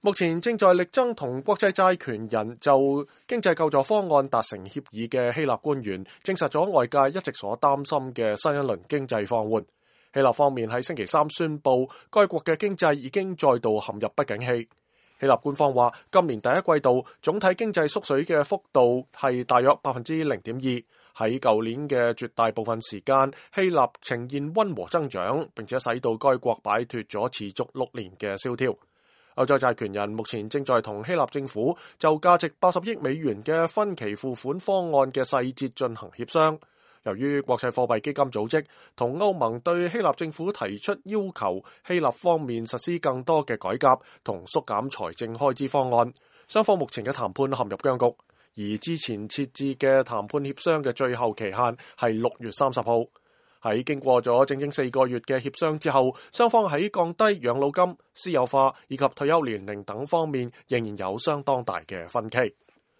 目前正在力爭同國際債權人就經濟救助方案達成協議嘅希臘官員，證實咗外界一直所擔心嘅新一輪經濟放緩。希臘方面喺星期三宣布，該國嘅經濟已經再度陷入不景氣。希臘官方話，今年第一季度總體經濟縮水嘅幅度係大約0.2%。喺舊年嘅絕大部分時間，希臘呈現溫和增長，並且使到該國擺脫咗持續6年嘅蕭條。歐洲債權人目前正在同希臘政府就價值80億美元嘅分期付款方案嘅細節進行協商。由於國際貨幣基金組織同歐盟對希臘政府提出要求，希臘方面實施更多嘅改革同縮減財政開支方案，雙方目前嘅談判陷入僵局。而之前設置嘅談判協商嘅最後期限係6月30號。喺經過咗整整4個月嘅協商之後，雙方喺降低養老金、私有化以及退休年齡等方面仍然有相當大嘅分歧。